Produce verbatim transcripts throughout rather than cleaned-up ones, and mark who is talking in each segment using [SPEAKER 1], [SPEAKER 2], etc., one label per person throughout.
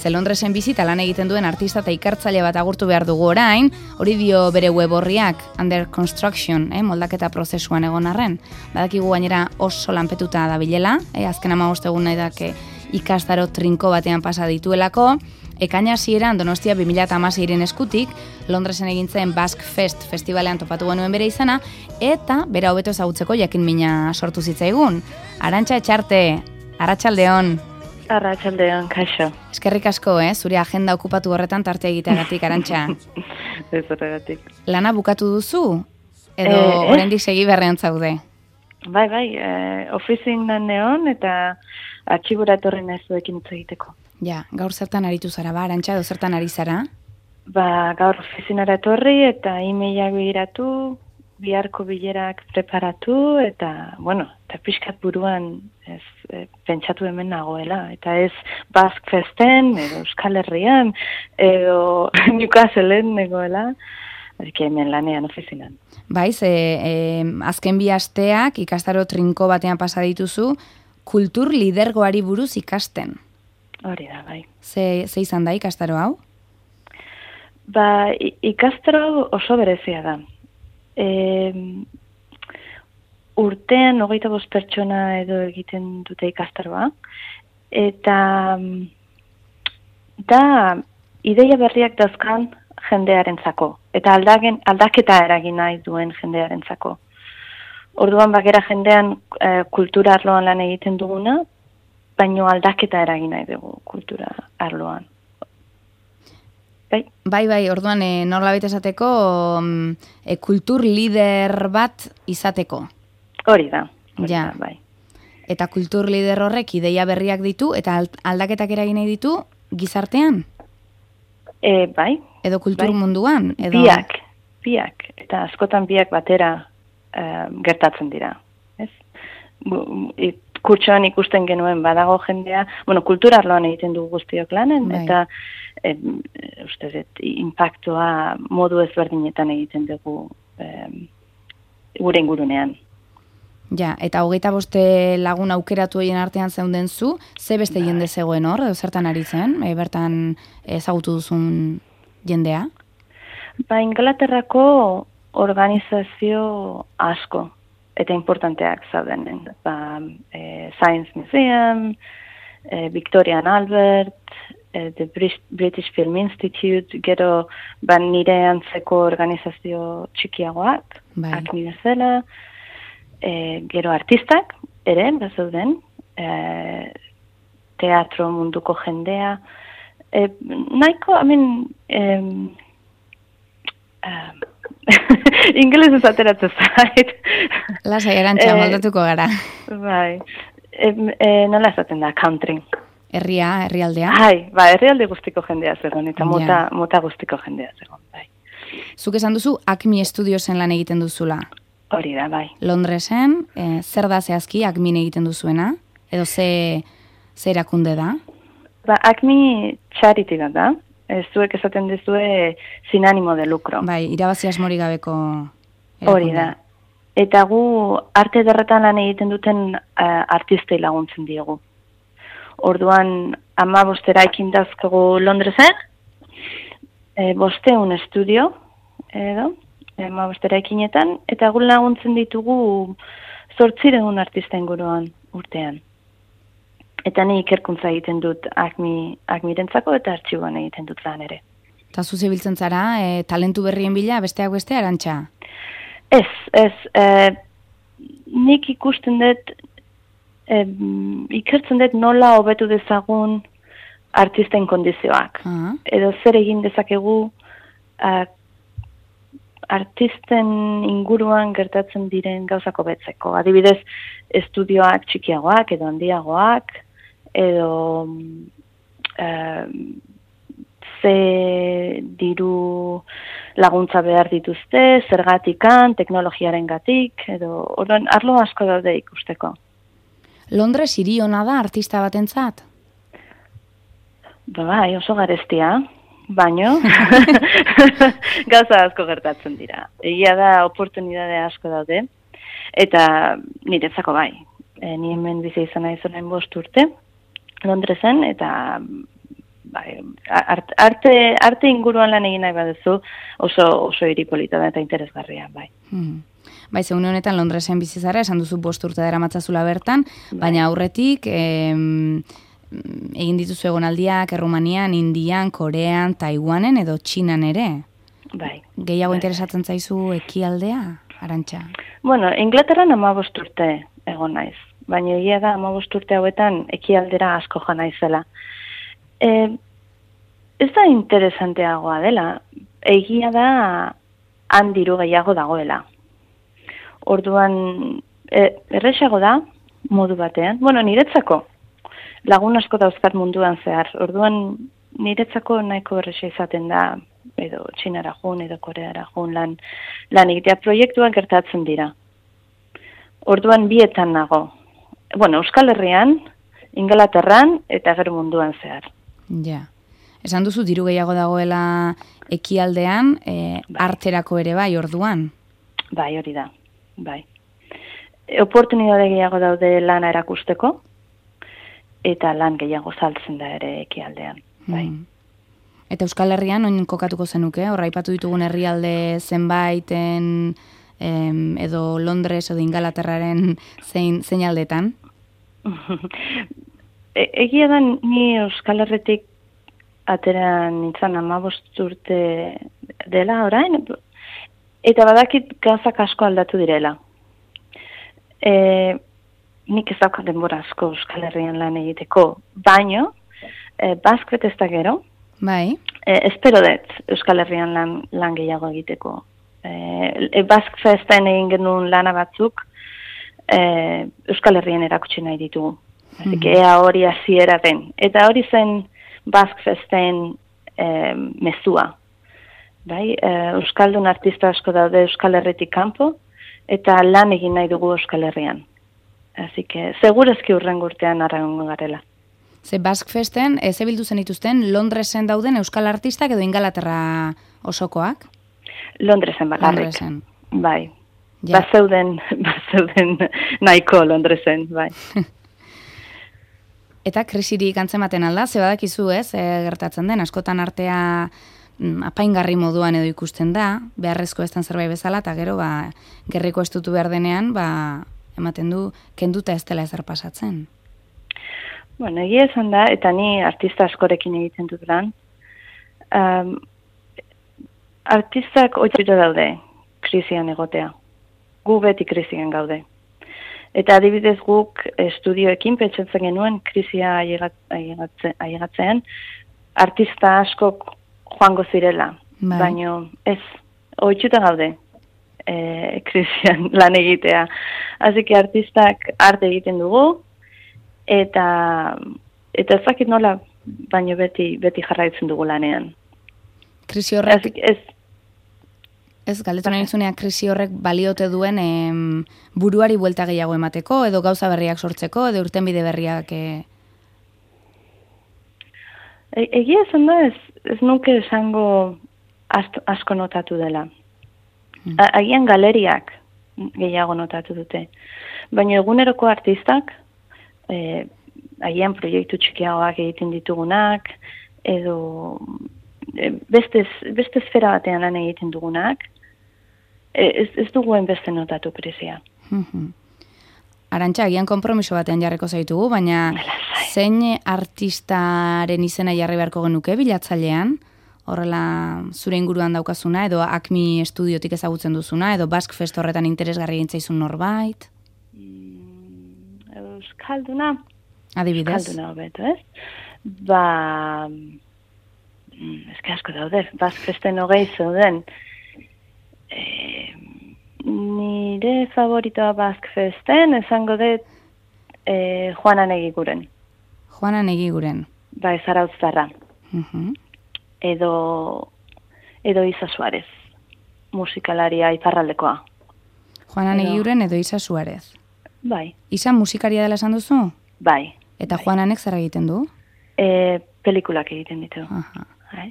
[SPEAKER 1] Ze Londresen bizita lan egiten duen artista eta ikertzaile bat agurtu behar dugu orain, hori dio bere web orriak, under construction, eh, moldaketa prozesuan egon arren. Badakigu gainera oso lanpetuta dabilela, eh, azken hamabost egun nahi dake ikastaro trinko batean pasa dituelako, ekaina hasieran Donostia bi mila hamaseiren eskutik, Londresen egin zen Basque Fest festivalean topatu genuen bere izana, eta bera hobeto ezagutzeko jakin mina sortu zitzaigun. Arantxa Etxarte, arratsaldeon.
[SPEAKER 2] Arratsaldeon, kaixo.
[SPEAKER 1] Eskerrik asko, eh, zure agenda okupatu horretan tarte egiteagatik, Arantxa.
[SPEAKER 2] Ez horregatik.
[SPEAKER 1] Lana bukatu duzu? Edo
[SPEAKER 2] Eh,
[SPEAKER 1] oraindik segi berrean zaude?
[SPEAKER 2] Bai, bai, eh, ofizin nan neon eta atxibura etorri nahi zuekin hitz egiteko.
[SPEAKER 1] Ja, gaur zertan aritu zara, ba, Arantxa, edo zertan ari zara?
[SPEAKER 2] Ba, gaur ofizinara etorri eta e-mailak begiratu, biharko bilerak preparatu eta, bueno, eta pixkat buruan ez, e, pentsatu hemen nagoela. Eta ez Basque Festen, edo Euskal Herrian, edo Newcastleen negoela, que hemen lanean ofizinan.
[SPEAKER 1] Bai, ze e, azken bi asteak ikastaro trinko batean pasa dituzu, kultur lidergoari buruz ikasten.
[SPEAKER 2] Hori da, bai.
[SPEAKER 1] Ze, ze izan da ikastaro hau?
[SPEAKER 2] Ba, i- ikastaro oso berezia da. E, urtean hogeita bost pertsona edo egiten dute ikastaroa, eta mm, da ideia berriak dauzkan jendearentzako, eta aldagen, aldaketa eragin nahi duen jendearentzako. Orduan bakera jendean e, kultura arloan lan egiten duguna, baino aldaketa eragin nahi dugu kultura arloan. Bai?
[SPEAKER 1] Bai, bai, orduan e, norbait esateko mm, e, kultur lider bat izateko.
[SPEAKER 2] Hori da. Hori
[SPEAKER 1] Ja.
[SPEAKER 2] da, bai.
[SPEAKER 1] Eta kultur lider horrek ideia berriak ditu eta al- aldaketak eragin nahi ditu gizartean?
[SPEAKER 2] E, bai,
[SPEAKER 1] Edo kultur
[SPEAKER 2] Bai.
[SPEAKER 1] munduan? Edo...
[SPEAKER 2] biak, biak, eta askotan biak batera eh, gertatzen dira. Ez? Bu- i- Kurtsoan ikusten genuen badago jendea, bueno, kultura arloan egiten dugu guztiok lanen,
[SPEAKER 1] Bai.
[SPEAKER 2] eta eh, uste dut, impactua modu ezberdinetan egiten dugu eh, gure ingurunean.
[SPEAKER 1] Ja, eta hogeita boste lagun aukeratu horien artean zeunden zu, ze beste jende zegoen hor, edo zertan ari zen, e, bertan ezagutu duzun jendea?
[SPEAKER 2] Ba, Inglaterrako organizazio asko eta importanteak zaudenen. Ba, e, Science Museum, e, Victoria and Albert, e, the Bris- British Film Institute, gero ba, nire antzeko organizazio txikiagoak,
[SPEAKER 1] Bai.
[SPEAKER 2] Acme bezala, e, gero artistak, ere, bazauden, e, teatro munduko jendea, e, nahiko, I mean, em, um, ingeles ez ateratzen zait.
[SPEAKER 1] Lasai, Arantxa,
[SPEAKER 2] Eh,
[SPEAKER 1] moldatuko gara.
[SPEAKER 2] Bai, e, e, nola esaten da, country.
[SPEAKER 1] Herria, herrialdea.
[SPEAKER 2] Hai, ba, herrialde guztiko jendea zegoen, eta
[SPEAKER 1] Ja.
[SPEAKER 2] mota, mota guztiko jendea zegoen, bai.
[SPEAKER 1] Zuk esan duzu Acme Studiosen lan egiten duzula.
[SPEAKER 2] Hori da, bai.
[SPEAKER 1] Londresen, e, zer da zehazki Acmen egiten duzuena? Edo ze, ze erakunde da?
[SPEAKER 2] Ba, Acme charity bat da, ez zuek esaten duzue sin ánimo de lucro.
[SPEAKER 1] Bai, irabazi asmori gabeko
[SPEAKER 2] Hori
[SPEAKER 1] erakundea.
[SPEAKER 2] da. Eta gu arte ederretan lan egiten duten uh, artistei laguntzen diegu. Orduan, ama bostera ekin dazkegu Londresen, e, bosteun estudio, edo, ama bostera ekinetan, eta gu laguntzen ditugu zortzireun artista inguruan urtean. Eta ni ikerkuntza egiten dut Acme, Acmirentzako eta artxiboan egiten dut lan ere.
[SPEAKER 1] Eta zu zebiltzen zara, e, talentu berrien bila, besteak beste, Arantxa?
[SPEAKER 2] Ez, ez, e, nik ikusten dut, e, ikertzen dut nola hobetu dezagun artisten kondizioak.
[SPEAKER 1] Ah,
[SPEAKER 2] Edo zer egin dezakegu a, artisten inguruan gertatzen diren gauzako betzeko. Adibidez, estudioak txikiagoak edo handiagoak, edo e, ze diru laguntza behar dituzte, zergatikan, teknologiaren gatik, edo orduan arlo asko daude ikusteko.
[SPEAKER 1] Londres hiri ona da artista batentzat?
[SPEAKER 2] Ba, bai, oso garestia, baino gauza asko gertatzen dira. Egia da, oportunidade asko daude, eta niretzako bai. E, ni hemen bizi izan naiz orain bost urte, Londresen, eta bai, arte, arte, arte inguruan lan egin nahi baduzu, oso, oso hiripolita da eta interesgarria, bai.
[SPEAKER 1] Hmm. Bai, zeune honetan Londresen bizi zara, esan duzu bost urte daramatzazula bertan, bai. Baina aurretik em, egin dituzu egonaldiak Errumanian, Indian, Korean, Taiwanen edo Txinan ere.
[SPEAKER 2] Bai.
[SPEAKER 1] Gehiago
[SPEAKER 2] bai.
[SPEAKER 1] interesatzen zaizu ekialdea, Arantxa?
[SPEAKER 2] Bueno, Inglaterran hamabost urte egon naiz, baina egia da hamabost urte hauetan ekialdera asko jo naizela. E, ez da interesanteagoa dela, egia da han diru gehiago dagoela. Orduan, e, erresago da, modu batean. Bueno, niretzako, lagun asko dauzkat munduan zehar. Orduan, niretzako nahiko erresa izaten da, edo Txinara jun, edo Koreara jun lan, lan egitea proiektuak gertatzen dira. Orduan, bietan nago. Bueno, Euskal Herrian, Ingalaterran, eta gero munduan zehar.
[SPEAKER 1] Ja. Esan duzu diru gehiago dagoela ekialdean, e,
[SPEAKER 2] bai.
[SPEAKER 1] Arterako ere bai, orduan?
[SPEAKER 2] Bai, hori da. Bai. Oportunidade gehiago daude lana erakusteko, eta lan gehiago saltzen da ere ekialdean. Bai.
[SPEAKER 1] Hmm. Eta Euskal Herrian, oin kokatuko zenuke? Horra aipatu ditugun herrialde zenbaiten, em, edo Londres edo Ingalaterraren zein, zein aldetan?
[SPEAKER 2] e, egia da ni Euskal Herritik atera nintzen hamabost urte dela orain, eta badakit gauzak asko aldatu direla. E, nik ez daukat denbora asko Euskal Herrian lan egiteko, baino, e, Baskret ez da gero,
[SPEAKER 1] bai.
[SPEAKER 2] e, espero dut Euskal Herrian lan, lan gehiago egiteko. E, e, Bask Festen egin genuen lana batzuk, e, Euskal Herrian erakutsi nahi ditugu. Mm-hmm. Ea hori hasiera den. Eta hori zen Bask Festen e, mezua. Bai, Euskaldun artista asko daude Euskal Herritik kanpo, eta lan egin nahi dugu Euskal Herrian. Así que, segurezki urrengo urtean arraungo garela.
[SPEAKER 1] Ze Bask Festen, ez ebildu zen dituzten, Londresen dauden Euskal artistak edo Ingalaterra osokoak?
[SPEAKER 2] Londresen bakarrik.
[SPEAKER 1] Londresen.
[SPEAKER 2] Bai.
[SPEAKER 1] Ja.
[SPEAKER 2] Bazeuden, bazeuden nahiko Londresen, bai.
[SPEAKER 1] Eta krisirik antzematen alda, ze badakizu ez, e, gertatzen den, askotan artea apaingarri moduan edo ikusten da, beharrezko ez den zerbait bezala, eta gero, ba, gerriko estutu behar denean, ba, ematen du, kenduta ez dela ezer pasatzen.
[SPEAKER 2] Bueno, egia esan da, eta ni artista askorekin egiten dut lan, um, artistak oitxito daude, krisian egotea. Gu beti krisian gaude. Eta adibidez guk estudioekin pentsatzen genuen krisia ailegatzean, artista askok joango zirela, bai. Baina ez, oitxuta gaude e, krisian lan egitea. Así que artistak arte egiten dugu, eta eta ezakit nola, baina beti, beti jarraitzen dugu lanean.
[SPEAKER 1] Krisi horrek,
[SPEAKER 2] ez,
[SPEAKER 1] ez galdetu nahi zunean, krisi horrek baliote duen em, buruari buelta gehiago emateko, edo gauza berriak sortzeko, edo urtenbide berriak... E...
[SPEAKER 2] E, egia esan da, ez, ez nuke esango asto, asko notatu dela. Hmm. A, agian galeriak gehiago notatu dute. Baina eguneroko artistak, e, agian proiektu txikiagoak egiten ditugunak, edo e, beste, beste esfera batean lan egiten dugunak, e, ez, ez duguen beste notatu krisia.
[SPEAKER 1] Mm-hmm. Arantxa, agian konpromiso batean jarriko zaitugu, baina zein artistaren izena jarri beharko genuke bilatzailean? Horrela zure inguruan daukazuna, edo Acme estudiotik ezagutzen duzuna, edo Bask Fest horretan interesgarri egintzaizun norbait?
[SPEAKER 2] Mm, Euskalduna?
[SPEAKER 1] Adibidez?
[SPEAKER 2] Euskalduna hobeto, ez? Ba... Eske asko daude, Bask Festen hogei zeuden. Eh... Nire favoritoa Bask Festen, esango dut eh, Juana Negiguren.
[SPEAKER 1] Juana Negiguren.
[SPEAKER 2] Ba, Zarautzarra.
[SPEAKER 1] Uh-huh.
[SPEAKER 2] Edo, edo Isa Suarez, musikalaria iparraldekoa.
[SPEAKER 1] Juana edo... Negiguren edo Isa Suarez.
[SPEAKER 2] Bai.
[SPEAKER 1] Isa musikaria dela esan duzu?
[SPEAKER 2] Bai.
[SPEAKER 1] Eta
[SPEAKER 2] bai.
[SPEAKER 1] Juananek zer egiten du?
[SPEAKER 2] E, pelikulak egiten ditu.
[SPEAKER 1] Aha.
[SPEAKER 2] Bai.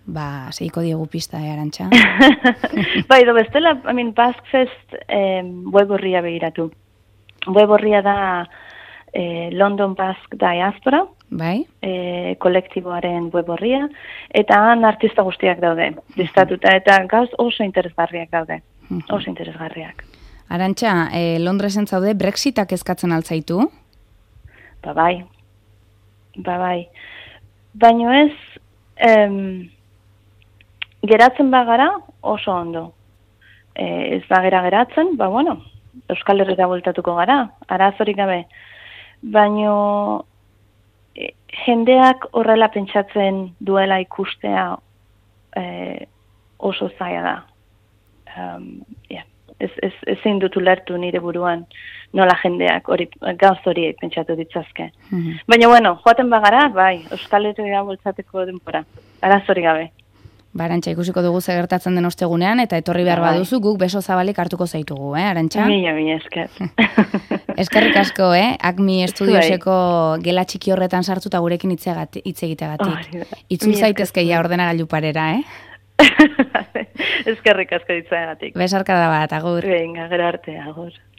[SPEAKER 1] Ba, segiko diegu pista, eh, Arantxa?
[SPEAKER 2] Bai, do bestela, I mean, Bask Fest eh, web horria begiratu. Web horria da e, London Basque Diaspora,
[SPEAKER 1] bai?
[SPEAKER 2] E, kolektiboaren web horria, eta han artista guztiak daude, listatuta, eta gauz oso interesgarriak daude, oso interesgarriak.
[SPEAKER 1] Arantxa, e, Londresen zaude Brexitak eskatzen altzaitu?
[SPEAKER 2] Ba bai, ba bai. Baino ez, em, geratzen bagara oso ondo. E, ez bagera geratzen, ba bueno, Euskal Herrira bueltatuko gara, arazorik gabe. Baino e, jendeak horrela pentsatzen duela ikustea e, oso zaila da. Um, yeah. Ez, ez, ezin dut ulertu nire buruan nola jendeak hori, gauz hori pentsatu ditzazke. Mm-hmm. Baina bueno, joaten bagara, bai, Euskal Herrira bueltzateko denbora, arazorik gabe.
[SPEAKER 1] Ba, Arantxa, ikusiko dugu ze gertatzen den ostegunean, eta etorri behar baduzu, guk beso zabalik hartuko zaitugu, eh, Arantxa?
[SPEAKER 2] Mila, mila, esker.
[SPEAKER 1] Eskerrik asko, eh, Acme Estudioseko gela txiki horretan sartuta gurekin hitz egiteagatik. Oh, Itzul zaitezke ja ordenagailu parera, eh?
[SPEAKER 2] Eskerrik asko ditzaagatik.
[SPEAKER 1] Besarkada bat, agur.
[SPEAKER 2] Venga, gero arte, agur.